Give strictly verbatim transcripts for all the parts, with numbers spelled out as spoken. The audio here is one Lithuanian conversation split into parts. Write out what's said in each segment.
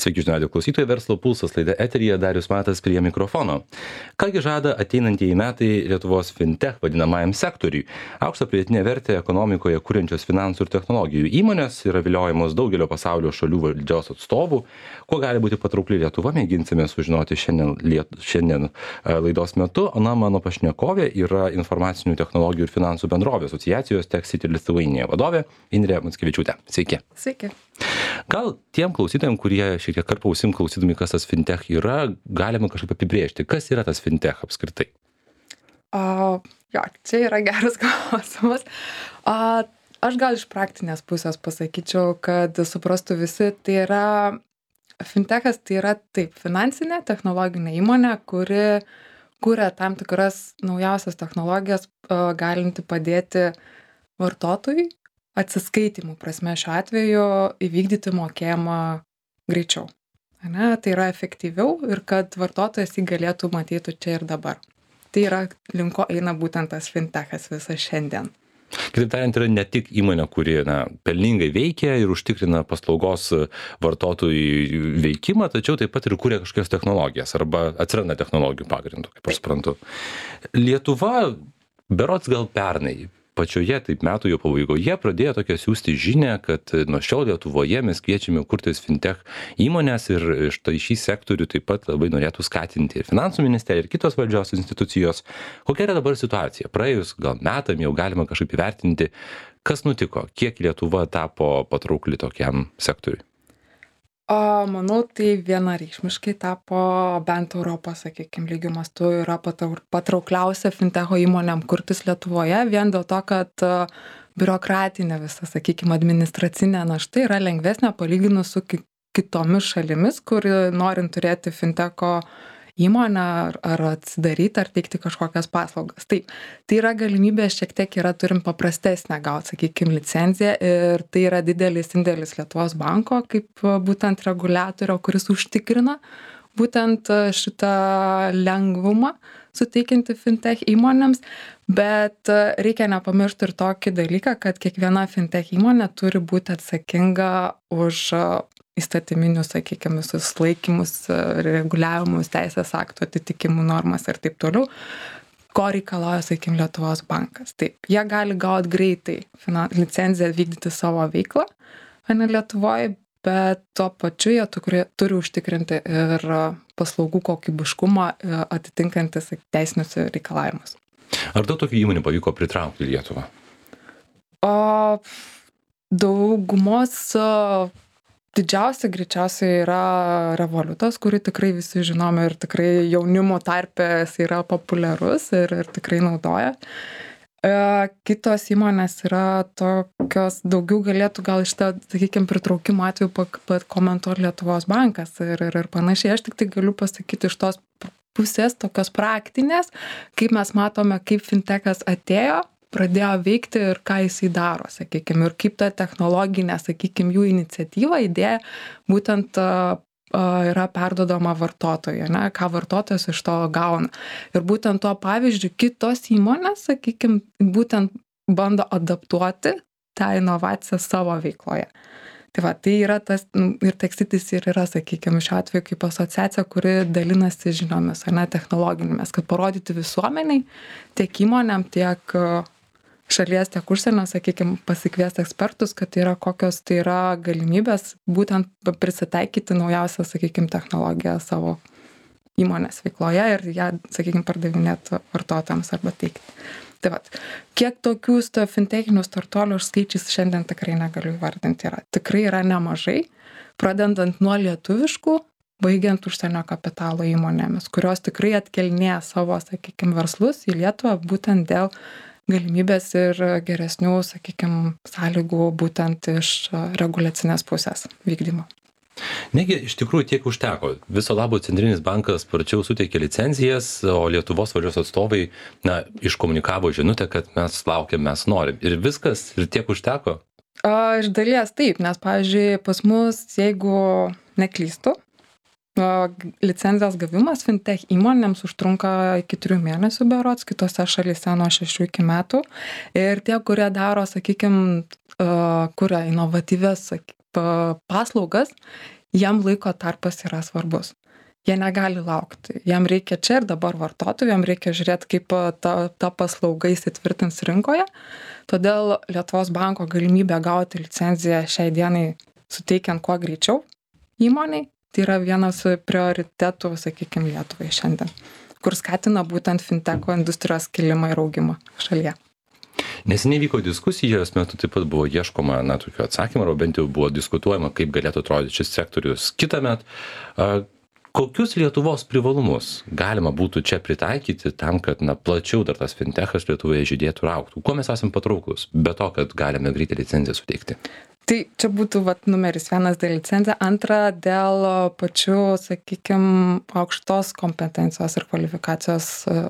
Sveiki, žinių radijo klausytojai, verslo pulsas laida eteryje, Darius Matas prie mikrofono. Kągi žada ateinantieji metai Lietuvos fintech vadinamajam sektoriui? Aukštą pridėtinę vertę ekonomikoje kuriančios finansų ir technologijų įmonės yra viliojamos daugelio pasaulio šalių valdžios atstovų. Kuo gali būti patraukli Lietuva, mėginsime sužinoti šiandien, liet, šiandien laidos metu. Na, mano pašnekovė yra informacinių technologijų ir finansų bendrovė asociacijos Tech City Lithuania vadovė Indrė Mackevičiūtė. Sveiki. Sveiki. Gal tiem klausytojams, kurie šiek tiek karpą ausim klausydami, kas tas fintech yra, galima kažkaip apibrėžti, kas yra tas fintech apskritai? O, jo, čia yra geras klausimas. O, aš gal iš praktinės pusės pasakyčiau, kad suprastų visi, tai yra fintechas, tai yra taip, finansinė technologinė įmonė, kuri kuria tam tikras naujausias technologijas, o, galinti padėti vartotojui atsiskaitimų prasme šiuo atveju įvykdyti mokėjimą greičiau. Ane? Tai yra efektyviau ir kad vartotojas jį galėtų matyti čia ir dabar. Tai yra linko eina būtent tas fintechas visas šiandien. Kitaip tariant, yra ne tik įmonė, kuri na, pelningai veikia ir užtikrina paslaugos vartotojų veikimą, tačiau taip pat ir kuria kažkokias technologijas arba atsiranda technologijų pagrindų, kaip aš suprantu. Lietuva, berods gal pernai, pačioje taip metų jo pabaigoje pradėjo tokią siūsti žinę, kad nuo šiol Lietuvoje mes kviečiame kurtis fintech įmonės ir štai šį sektorių taip pat labai norėtų skatinti ir finansų ministerija, ir kitos valdžios institucijos. Kokia yra dabar situacija? Praėjus gal metam jau galima kažkaip įvertinti, kas nutiko, kiek Lietuva tapo patraukli tokiam sektoriui? O, manau, tai vienareikšmiškai tapo bent Europos, sakykime, lygiu mastu yra patraukliausia fintecho įmonėm kurtis Lietuvoje, vien dėl to, kad biurokratinė visa, sakykime, administracinė našta yra lengvesnė palyginus su kitomis šalimis, kur norint turėti fintecho įmonę ar, ar atsidaryti, ar teikti kažkokias paslaugas. Taip, tai yra galimybė šiek tiek yra, turim paprastesnę gauti, sakykime, licenciją ir tai yra didelis indėlis Lietuvos banko, kaip būtent reguliatorio, kuris užtikrina būtent šitą lengvumą suteikinti fintech įmonėms, bet reikia nepamiršti ir tokį dalyką, kad kiekviena fintech įmonė turi būti atsakinga už įstatyminius, sakykime, visus laikymus, reguliavimus, teisės aktų atitikimų normas ir taip toliau, ko reikalauja, sakykime, Lietuvos bankas. Taip, jie gali gauti greitai finan... licenciją vykdyti savo veiklą, o ne Lietuvoje, bet tuo pačiu jie turi, turi užtikrinti ir paslaugų kokybiškumą atitinkantis teisinius reikalavimus. Ar daug tokių įmonių pavyko pritraukti į Lietuvą? O daugumos didžiausia greičiausiai yra Revolutas, kurį tikrai visi žinome ir tikrai jaunimo tarpės yra populiarus ir, ir tikrai naudoja. E, kitos įmonės yra tokios, daugiau galėtų gal iš to, sakykime, pritraukimo atveju pakomentuoti Lietuvos bankas ir, ir, ir panašiai. Aš tik tai galiu pasakyti iš tos pusės, tokios praktinės, kaip mes matome, kaip fintechas atėjo, pradėjo veikti ir ką jisai daro, sakykime, ir kaip ta technologinė, sakykime, jų iniciatyva, idėja būtent uh, yra perduodama vartotojui, ne, ką vartotojas iš to gauna. Ir būtent tuo pavyzdžiu kitos įmonės, sakykime, būtent bando adaptuoti tą inovaciją savo veikloje. Tai va, tai yra tas, ir Tech City ir yra, sakykime, šiuo atveju kaip asociacija, kuri dalinasi žiniomis, ar ne, technologinėmis, kad parodyti visuomeniai, tiek įmonėm, tiek šalies, tiek užsienio, sakykime, pasikviesti ekspertus, kad tai yra kokios tai yra galimybės būtent prisitaikyti naujausią, sakykime, technologiją savo įmonės veikloje ir ją, sakykime, pardavinėti vartotojams arba teikti. Tai va, kiek tokių fintechinių startuolių skaičiais šiandien tikrai negaliu įvardinti yra. Tikrai yra nemažai, pradedant nuo lietuviškų, baigiant užsienio kapitalo įmonėmis, kurios tikrai atkelnėja savo, sakykime, verslus į Lietuvą būtent dėl galimybės ir geresnių, sakykime, sąlygų būtent iš reguliacinės pusės vykdymo. Negi iš tikrųjų tiek užteko. Viso labo Centrinis bankas sparčiau suteikė licencijas, o Lietuvos valdžios atstovai na, iškomunikavo žinutę, kad mes laukiam, mes norim. Ir viskas, ir tiek užteko? A, iš dalies taip, nes, pavyzdžiui, pas mus, jeigu neklystu, licencijos gavimas fintech įmonėms užtrunka iki trijų mėnesių berods, kitose šalyse nuo šešių iki metų. Ir tie, kurie daro, sakykime, kuria inovatyvias paslaugas, jiem laiko tarpas yra svarbus. Jie negali laukti. Jam reikia čia ir dabar vartotojų, jam reikia žiūrėti, kaip ta, ta paslauga įsitvirtins rinkoje. Todėl Lietuvos banko galimybė gauti licenciją šiai dienai suteikiant kuo greičiau įmoniai, tai yra vienas prioritetų, sakykime, Lietuvai šiandien, kur skatina būtent finteko industrijos kilimą ir augimą šalyje. Neseniai vyko diskusijos metu, taip pat buvo ieškoma, na, tokio atsakymą, arba bent jau buvo diskutuojama, kaip galėtų atrodyti šis sektorius kitąmet. Kokius Lietuvos privalumus galima būtų čia pritaikyti tam, kad, na, plačiau dar tas fintechas Lietuvoje žydėtų ir augtų? Kuo mes esame patrauklus, be to, kad galime greitai licenciją suteikti? Tai čia būtų vat, numeris vienas dėl licencija, antra dėl pačių, sakykime, aukštos kompetencijos ir kvalifikacijos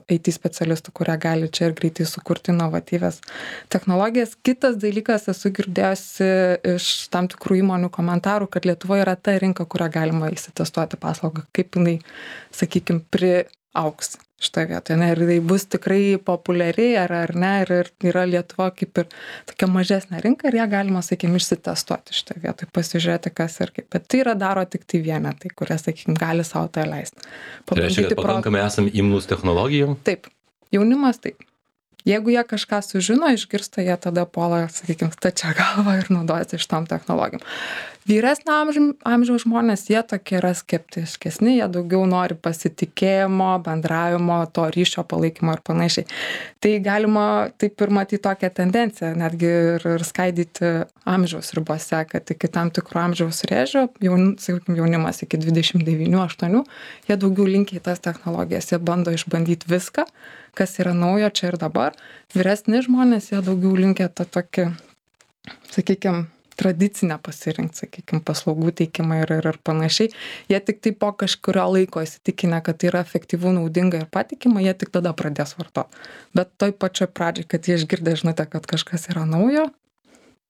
I T specialistų, kurie gali čia ir greitai sukurti inovatyvias technologijas. Kitas dalykas, esu girdėjusi iš tam tikrų įmonių komentarų, kad Lietuvoje yra ta rinka, kurią galima įsitestuoti paslaugą, kaip jinai, sakykime, priaugs šitoje vietoje. Ne, ir tai bus tikrai populiariai ar, ar ne, ir, ir yra Lietuva kaip ir tokia mažesnė rinka ir ją galima, sakykime, išsitestuoti šitoje vietoje, pasižiūrėti, kas ir kaip. Bet tai yra daro tik tai vienetai, kurie, sakykime, gali savo tai leisti. Tai reiškia, kad pakankamai esam imlūs technologijom? Taip. Jaunimas taip. Jeigu jie kažką sužino, išgirsta, jie tada puola, sakykime, stačia galva ir naudojasi šitom technologijom. Vyresnio amžiaus žmonės, jie tokie yra skeptiškesni, jie daugiau nori pasitikėjimo, bendravimo, to ryšio palaikymo ir panašiai. Tai galima taip ir matyti tokią tendenciją, netgi ir, ir skaidyti amžiaus ribose, kad iki tam tikro amžiaus rėžio, jaun, sakykime, jaunimas iki dvidešimt devynių aštuonių, jie daugiau linkia į tas technologijas, jie bando išbandyti viską, kas yra naujo čia ir dabar. Vyresni žmonės, jie daugiau linkia tą tokį, sakykime, tradicinę pasirinkti, sakykime, paslaugų teikimą ir, ir, ir panašiai. Jie tik tai po kažkurio laiko įsitikinę, kad tai yra efektyvu, naudinga ir patikima, jie tik tada pradės vartoti. Bet toj pačioj pradžiai, kad jie išgirdę žinutę, kad kažkas yra naujo,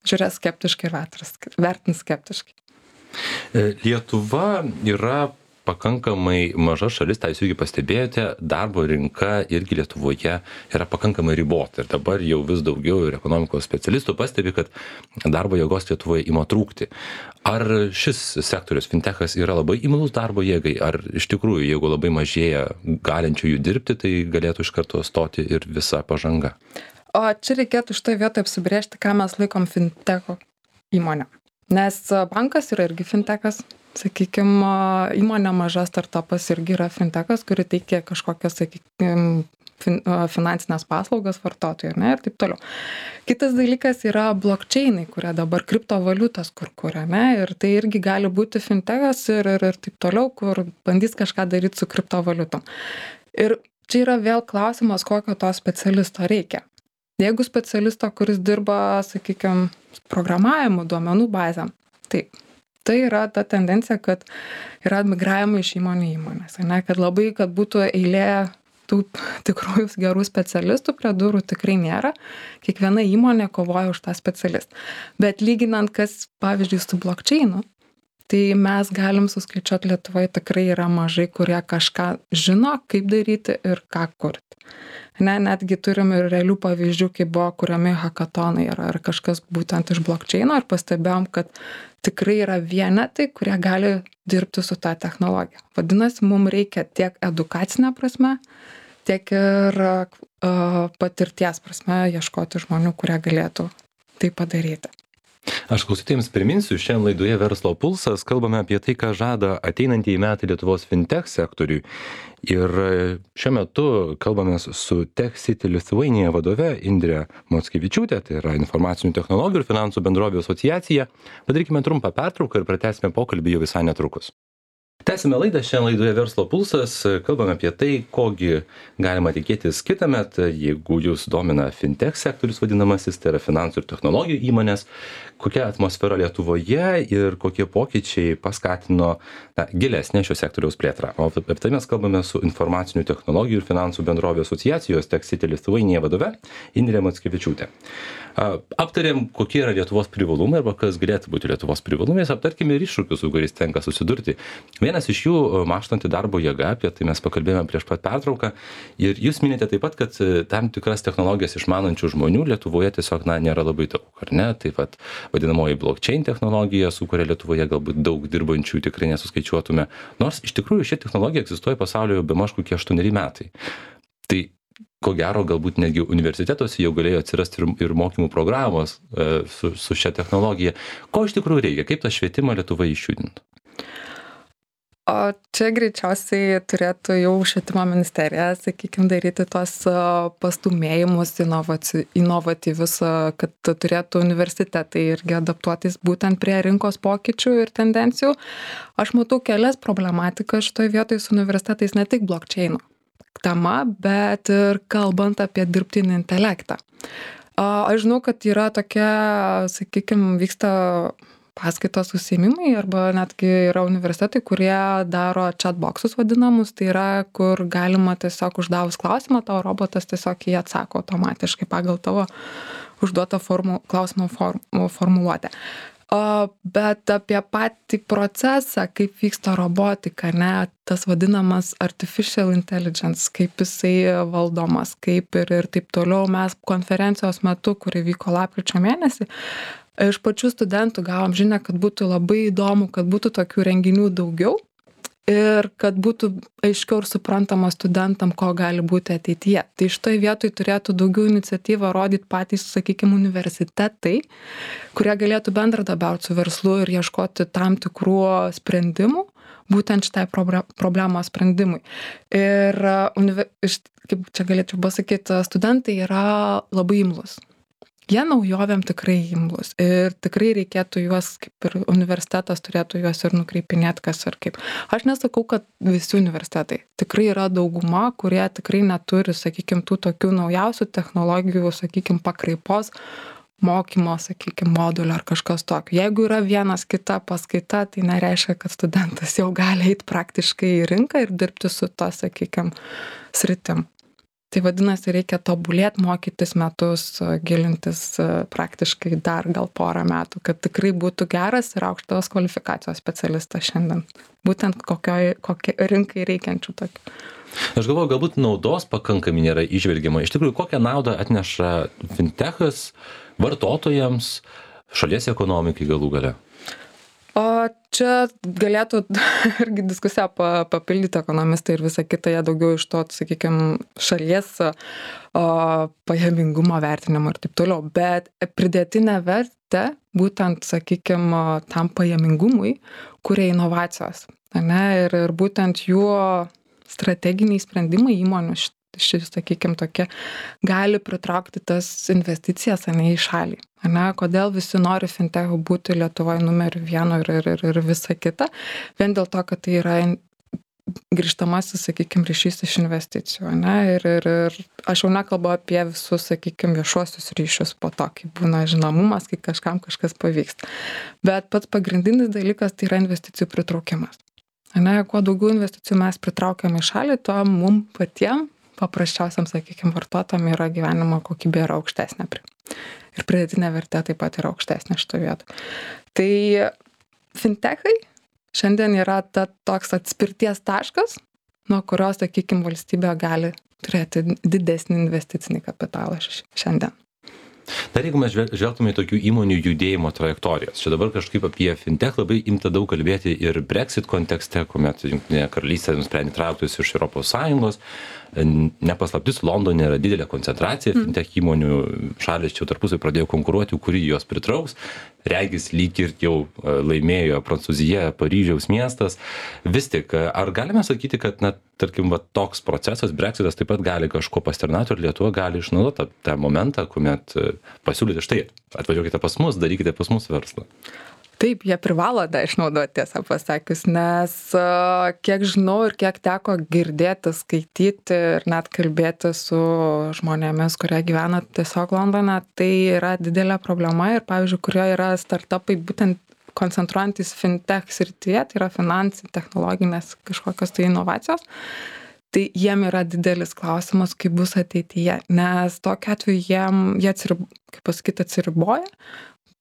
žiūrės skeptiškai ir vertins skeptiškai. Lietuva yra pakankamai maža šalis, tai jūs irgi pastebėjote, darbo rinka irgi Lietuvoje yra pakankamai ribota. Ir dabar jau vis daugiau ir ekonomikos specialistų pastebi, kad darbo jėgos Lietuvoje ima trūkti. Ar šis sektorius, fintechas, yra labai imlus darbo jėgai? Ar iš tikrųjų, jeigu labai mažėja galinčiųjų dirbti, tai galėtų iš karto stoti ir visa pažanga? O čia reikėtų šitoje vietoje apsibrėžti, ką mes laikom fintecho įmonę. Nes bankas yra irgi fintechas. Sakykime, įmonė maža startupas irgi yra fintechas, kuri teikia kažkokias, sakykime, fin, finansinės paslaugas vartotojai, ne, ir taip toliau. Kitas dalykas yra blockchainai, kurie dabar kriptovaliutas kur kuria, ne, ir tai irgi gali būti fintechas ir, ir, ir taip toliau, kur bandys kažką daryti su kriptovaliutom. Ir čia yra vėl klausimas, kokio to specialisto reikia. Jeigu specialisto, kuris dirba, sakykime, programavimu, duomenų bazėm, taip. Tai yra ta tendencija, kad yra migravimai iš įmonių įmonės, ne? Kad labai, kad būtų eilė tų tikrųjų gerų specialistų prie durų tikrai nėra. Kiekviena įmonė kovoja už tą specialistą. Bet lyginant, kas, pavyzdžiui, su blockchainu, tai mes galim suskaičiuoti Lietuvoje tikrai yra mažai, kurie kažką žino, kaip daryti ir ką kurti. Ne, netgi turim ir realių pavyzdžių, kai buvo kuriami hackathonai ar, ar kažkas būtent iš blockchaino ir pastebėjom, kad tikrai yra vienetai, kurie gali dirbti su tą technologiją. Vadinasi, mums reikia tiek edukacinę prasme, tiek ir uh, patirties prasme ieškoti žmonių, kurie galėtų tai padaryti. Aš klausytojams priminsiu, šiandien laidoje Verslo pulsas kalbame apie tai, ką žada ateinantieji metai Lietuvos fintech sektoriui. Ir šiuo metu kalbame su Tech City Lithuania vadove Indre Mockevičiūte, tai yra informacinių technologijų ir finansų bendrovių asociacija. Padarykime trumpą pertrauką ir pratęsime pokalbį jau visai netrukus. Tęsime laidą, šiandien laidoje Verslo pulsas, kalbame apie tai, kogi galima tikėtis kitąmet, jeigu jūs domina fintech sektorius vadinamasis, tai yra finansų ir technologijų įmonės, kokia atmosfera Lietuvoje ir kokie pokyčiai paskatino na, gilesnę šio sektoriaus plėtrą. O apie tai mes kalbame su informacinių technologijų ir finansų bendrovių asociacijos Tech City Lithuania vadove Indre Mockevičiūte. Aptarėm, kokie yra Lietuvos privalumai arba kas galėtų būti Lietuvos privalumais, aptarkime ir iššūkius, su kuriais tenka susidurti. Vienas iš jų mąžtanti darbo jėga, apie tai mes pakalbėjome prieš pat pertrauką. Ir jūs minite taip pat, kad tam tikras technologijas išmanančių žmonių Lietuvoje tiesiog na, nėra labai daug, ar ne? Taip pat vadinamoji blockchain technologija, su kuria Lietuvoje galbūt daug dirbančių tikrai nesuskaičiuotume. Nors iš tikrųjų ši technologija egzistuoja pasaulyje be maž kokie aštuoneri metai. Tai ko gero galbūt netgi universitetuose jau galėjo atsirasti ir, ir mokymų programos e, su, su šia technologija. Ko iš tikrųjų reikia? Kaip tą švietimą Lietuva išjudintų? O čia greičiausiai turėtų jau švietimo ministerija, sakykime, daryti tuos pastumėjimus inovaci, inovatyvius, kad turėtų universitetai irgi adaptuotis būtent prie rinkos pokyčių ir tendencijų. Aš matau kelias problematikas šitoje vietoje su universitetais, ne tik blockchain tema, bet ir kalbant apie dirbtinį intelektą. Aš žinau, kad yra tokia, sakykime, vyksta paskaitos užsiėmimai arba netgi yra universitetai, kurie daro chatboxus vadinamus, tai yra, kur galima tiesiog uždavus klausimą, tavo robotas tiesiog jį atsako automatiškai pagal tavo užduotą formu, klausimo form, formuluotę. O, bet apie patį procesą, kaip vyksta robotika, ne, tas vadinamas artificial intelligence, kaip jisai valdomas, kaip ir, ir taip toliau, mes konferencijos metu, kuri vyko lapkričio mėnesį, iš pačių studentų gavom žinią, kad būtų labai įdomu, kad būtų tokių renginių daugiau ir kad būtų aiškiau ir suprantama studentam, ko gali būti ateityje. Tai šitoje vietoje turėtų daugiau iniciatyvą rodyti patys, sakykime, universitetai, kurie galėtų bendradarbiauti su verslu ir ieškoti tam tikrų sprendimų, būtent šitai problemos sprendimui. Ir, kaip čia galėčiau pasakyti, studentai yra labai imlus. Jie naujovėm tikrai imlus ir tikrai reikėtų juos, kaip ir universitetas turėtų juos ir nukreipinėti, kas ir kaip. Aš nesakau, kad visi universitetai. Tikrai yra dauguma, kurie tikrai neturi, sakykime, tų tokių naujausių technologijų, sakykime, pakraipos mokymo, sakykime, modulio ar kažkas tokio. Jeigu yra vienas kita paskaita, tai nereiškia, kad studentas jau gali eiti praktiškai į rinką ir dirbti su to, sakykime, sritim. Tai vadinasi, reikia tobulėti, mokytis metus, gilintis praktiškai dar gal porą metų, kad tikrai būtų geras ir aukštos kvalifikacijos specialistas šiandien. Būtent kokioj, kokiai rinkai reikiančių tokių. Aš galvoju, galbūt naudos pakankamai nėra įžvelgiama. Iš tikrųjų, kokią naudą atneša fintechas vartotojams, šalies ekonomikai galų gale? O čia galėtų irgi diskusiją papildyti ekonomistai ir visą kitą, jie daugiau iš to, sakykime, šalies o, pajamingumo vertinimo ir taip toliau. Bet pridėtinę vertę, būtent, sakykime, tam pajamingumui, kuria inovacijos. Ne? Ir, ir būtent jų strateginiai sprendimai įmonių šis, sakykime, tokie, gali pritraukti tas investicijas, ne, į šalį. Ne, kodėl visi nori fintechų būti Lietuvoje numeriu vienu ir, ir, ir, ir visa kita, vien dėl to, kad tai yra grįžtamasis, sakykime, ryšys iš investicijų. Ne, ir, ir, ir aš jau nekalbu apie visus, sakykime, viešuosius ryšius po to, kai būna žinomumas, kai kažkam kažkas pavyksta. Bet pats pagrindinis dalykas tai yra investicijų pritraukimas. Ne, kuo daugiau investicijų mes pritraukiam į šalį, to mum patiem paprasčiausiam, sakykime, vartotojam yra gyvenimo kokybė yra aukštesnė. Ir pridėtinė vertė taip pat yra aukštesnė šito vieto. Tai fintechai šiandien yra ta, toks atspirties taškas, nuo kurios, sakykime, valstybė gali turėti didesnį investicinį kapitalą šiandien. Dar jeigu mes žvelgtume į tokių įmonių judėjimo trajektorijas, čia dabar kažkaip apie fintech labai imta daug kalbėti ir Brexit kontekste, kuomet Jungtinė karalystė nusprendė trauktis iš Europos Sąjungos. Nepaslaptis, Londone yra didelė koncentracija fintech įmonių, šalis čia tarpusai pradėjo konkuruoti, kuri jos pritrauks. Regis lyg ir jau laimėjo Prancūzija, Paryžiaus miestas. Vis tik, ar galime sakyti, kad, na, tarkim, va, toks procesas, Brexitas taip pat gali kažko pasitarnauti ir Lietuva gali išnaudoti tą, tą momentą, kuomet pasiūlyti, štai, atvažiuokite pas mus, darykite pas mus verslą. Taip, jie privalo tą išnaudoti, tiesą pasakius, nes kiek žinau ir kiek teko girdėti, skaityti ir net kalbėti su žmonėmis, kurie gyvena tiesiog Londone, tai yra didelė problema ir, pavyzdžiui, kurie yra startupai būtent koncentruojantis fintech srityje, tai yra finansų, technologinės kažkokios tai inovacijos, tai jiem yra didelis klausimas, kaip bus ateityje, nes tokiu atveju jiem, jie atsirib, kaip pasakyti, atsiriboja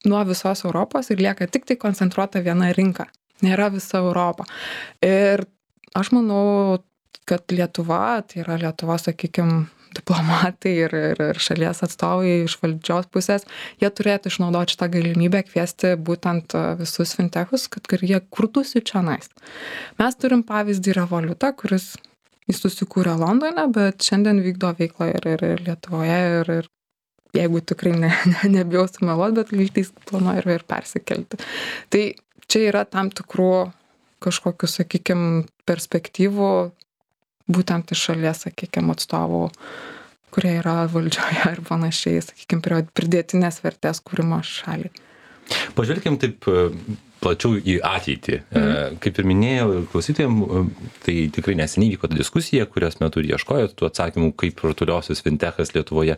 nuo visos Europos ir lieka tik tai koncentruota viena rinka. nėra visa Europa. Ir aš manau, kad Lietuva, tai yra Lietuva, sakykime, diplomatai ir, ir, ir šalies atstovai iš valdžios pusės, jie turėtų išnaudoti šitą galimybę kviesti būtent visus fintechus, kad jie kurtųsi čionais. Mes turim pavyzdį Revolutą, kuris jis susikūrė Londone, bet šiandien vykdo veiklą ir, ir, ir Lietuvoje ir, ir jeigu tikrai ne, ne, nebijau sumeluoti, bet lygtais planuoja ir, ir persikelti. Tai čia yra tam tikrų kažkokių, sakykime, perspektyvų būtent iš šalies, sakykime, atstovų, kurie yra valdžioje ir panašiai, sakykime, pridėtinės vertės kūrimo šaliai. Pažvelkim taip plačiau į ateitį. Mm. Kaip ir minėjau klausytojams, tai tikrai neseniai vyko diskusija, kurios metu ieškojot tų atsakymų, kaip rutuliosios fintechas Lietuvoje.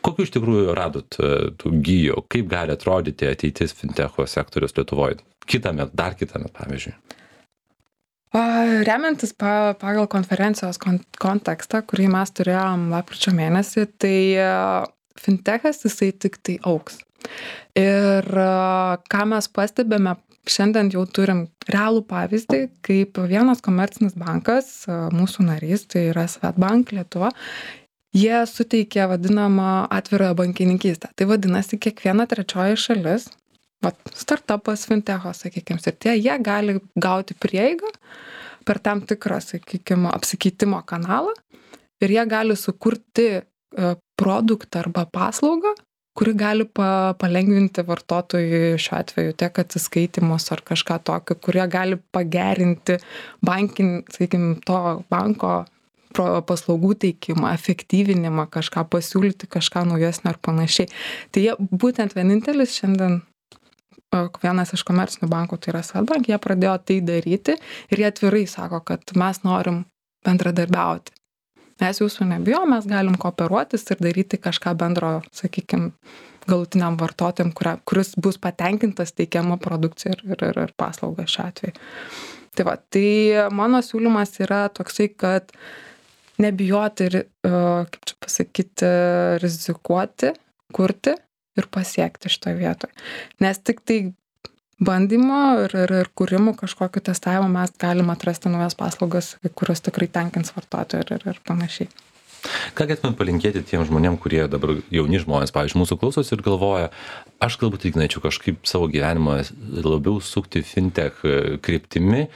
Kokiu iš tikrųjų radot tų gijų, kaip gali atrodyti ateitis fintecho sektorius Lietuvoje? Kitąmet, dar kitąmet, pavyzdžiui. Remiantis pagal konferencijos kontekstą, kurį mes turėjom lapkričio mėnesį, tai fintechas jisai tik tai augs. Ir ką mes pastebėme, šiandien jau turim realų pavyzdį, kaip vienas komercinis bankas, mūsų narys, tai yra Swedbank Lietuva, jie suteikė vadinamą atvirąją bankininkystę. Tai vadinasi, kiekviena trečioji šalis, vat, startupas, fintecho, sakykime, ir tie, jie gali gauti prieigą per tam tikrą, sakykime, apsikeitimo kanalą ir jie gali sukurti produktą arba paslaugą, kuri gali pa, palengvinti vartotojui šiuo atveju tiek atsiskaitimus ar kažką tokio, kurie gali pagerinti bankin, sakykime, to banko paslaugų teikimą, efektyvinimą, kažką pasiūlyti, kažką naujesnio ar panašiai. Tai jie būtent vienintelis šiandien vienas iš komercinių bankų, tai yra Swedbank, jie pradėjo tai daryti ir jie atvirai sako, kad mes norim bendradarbiauti. Mes jūsų nebijom, mes galim kooperuotis ir daryti kažką bendro, sakykime, galutiniam vartotojam, kuris bus patenkintas teikiama produkcija ir, ir, ir paslauga šiuo atveju. Tai va, tai mano siūlymas yra toksai, kad nebijoti ir, kaip čia pasakyti, rizikuoti, kurti ir pasiekti šitoje vietoje. Nes tik tai bandymo ir, ir, ir kūrimų kažkokio testavimo mes galime atrasti naujas paslaugas, kurios tikrai tenkins vartotojų ir, ir, ir panašiai. Ką galėtumėm palinkėti tiem žmonėm, kurie dabar jauni žmonės, pavyzdžiui, mūsų klausosi ir galvoja, aš galbūt ignačiau kažkaip savo gyvenimą labiau sukti fintech kryptimi,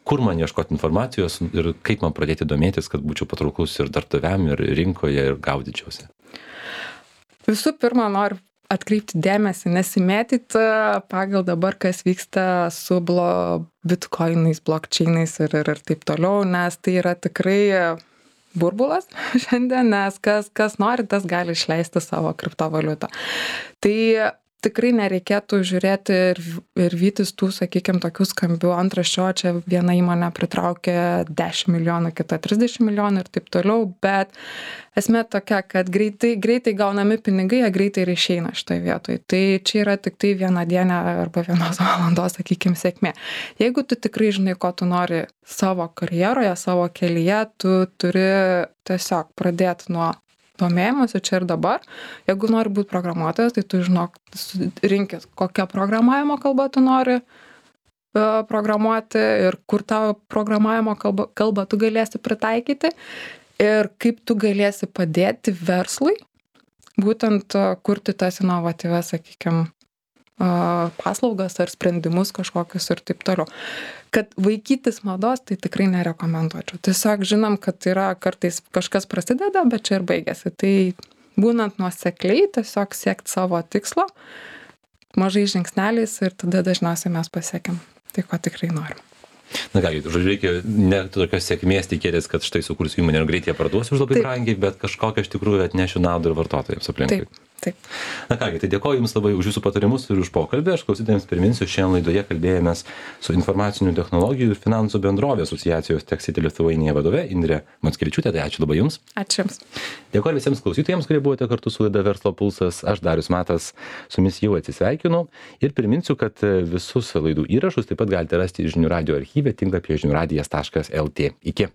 kur man ieškoti informacijos ir kaip man pradėti domėtis, kad būčiau patrauklus ir darbdaviam, ir rinkoje, ir gaudyčiausi? Visų pirma, noriu atkreipti dėmesį, nesimėtyti pagal dabar, kas vyksta su blo, bitcoinais, blockchainais ir, ir, ir taip toliau, nes tai yra tikrai burbulas šiandien, nes kas, kas nori, tas gali išleisti savo kriptovaliutą. Tai tikrai nereikėtų žiūrėti ir, ir vytis tų, sakykime, tokių skambių antraščių, čia viena įmonė pritraukė dešimt milijonų, kita trisdešimt milijonų ir taip toliau, bet esmė tokia, kad greitai, greitai gaunami pinigai, jie greitai ir išeina šitoje vietoje. Tai čia yra tik tai viena diena arba vienos valandos, sakykime, sėkmė. Jeigu tu tikrai žinai, ko tu nori savo karjeroje, savo kelyje, tu turi tiesiog pradėti nuo domėjimuose čia ir dabar. Jeigu nori būti programuotojas, tai tu žinok, rinkis, kokią programavimo kalbą tu nori uh, programuoti ir kur tavo programavimo kalbą, kalbą tu galėsi pritaikyti ir kaip tu galėsi padėti verslui būtent uh, kurti tas inovatyvias, sakykime, uh, paslaugas ar sprendimus kažkokius ir taip toliau. Kad vaikytis mados, tai tikrai nerekomenduočiau. Tiesiog žinom, kad yra kartais kažkas prasideda, bet čia ir baigėsi. Tai būnant nuosekliai, tiesiog siekti savo tikslo, mažais žingsneliais ir tada dažniausiai mes pasiekiam tai, ko tikrai norim. Na ką, žodžiu, reikia ne tokios sėkmės tikėtis, kad štai sukursiu įmonę ir greitai ją parduosiu už labai brangiai, bet kažkokią iš tikrųjų atnešiu naudą ir vartotojams aplinkui. Taip, taip. Na kągi, tai dėkoju Jums labai už Jūsų patarimus ir už pokalbį. Aš klausytojams priminsiu, šiandien laidoje kalbėjomės su informacinių technologijų ir finansų bendrovė asociacijos Techcity Lithuania vadove Indre Mackevičiūtė. Tai ačiū labai Jums. Ačiū Jums. Dėkoju visiems klausytojams, kurie buvote kartu su laida Verslo pulsas. Aš Darius Matas su Jumis jau atsisveikinu ir priminsiu, kad visus laidų įrašus taip pat galite rasti žinių radijo archyve tinklapyje žinių radijas taškas lt. Iki.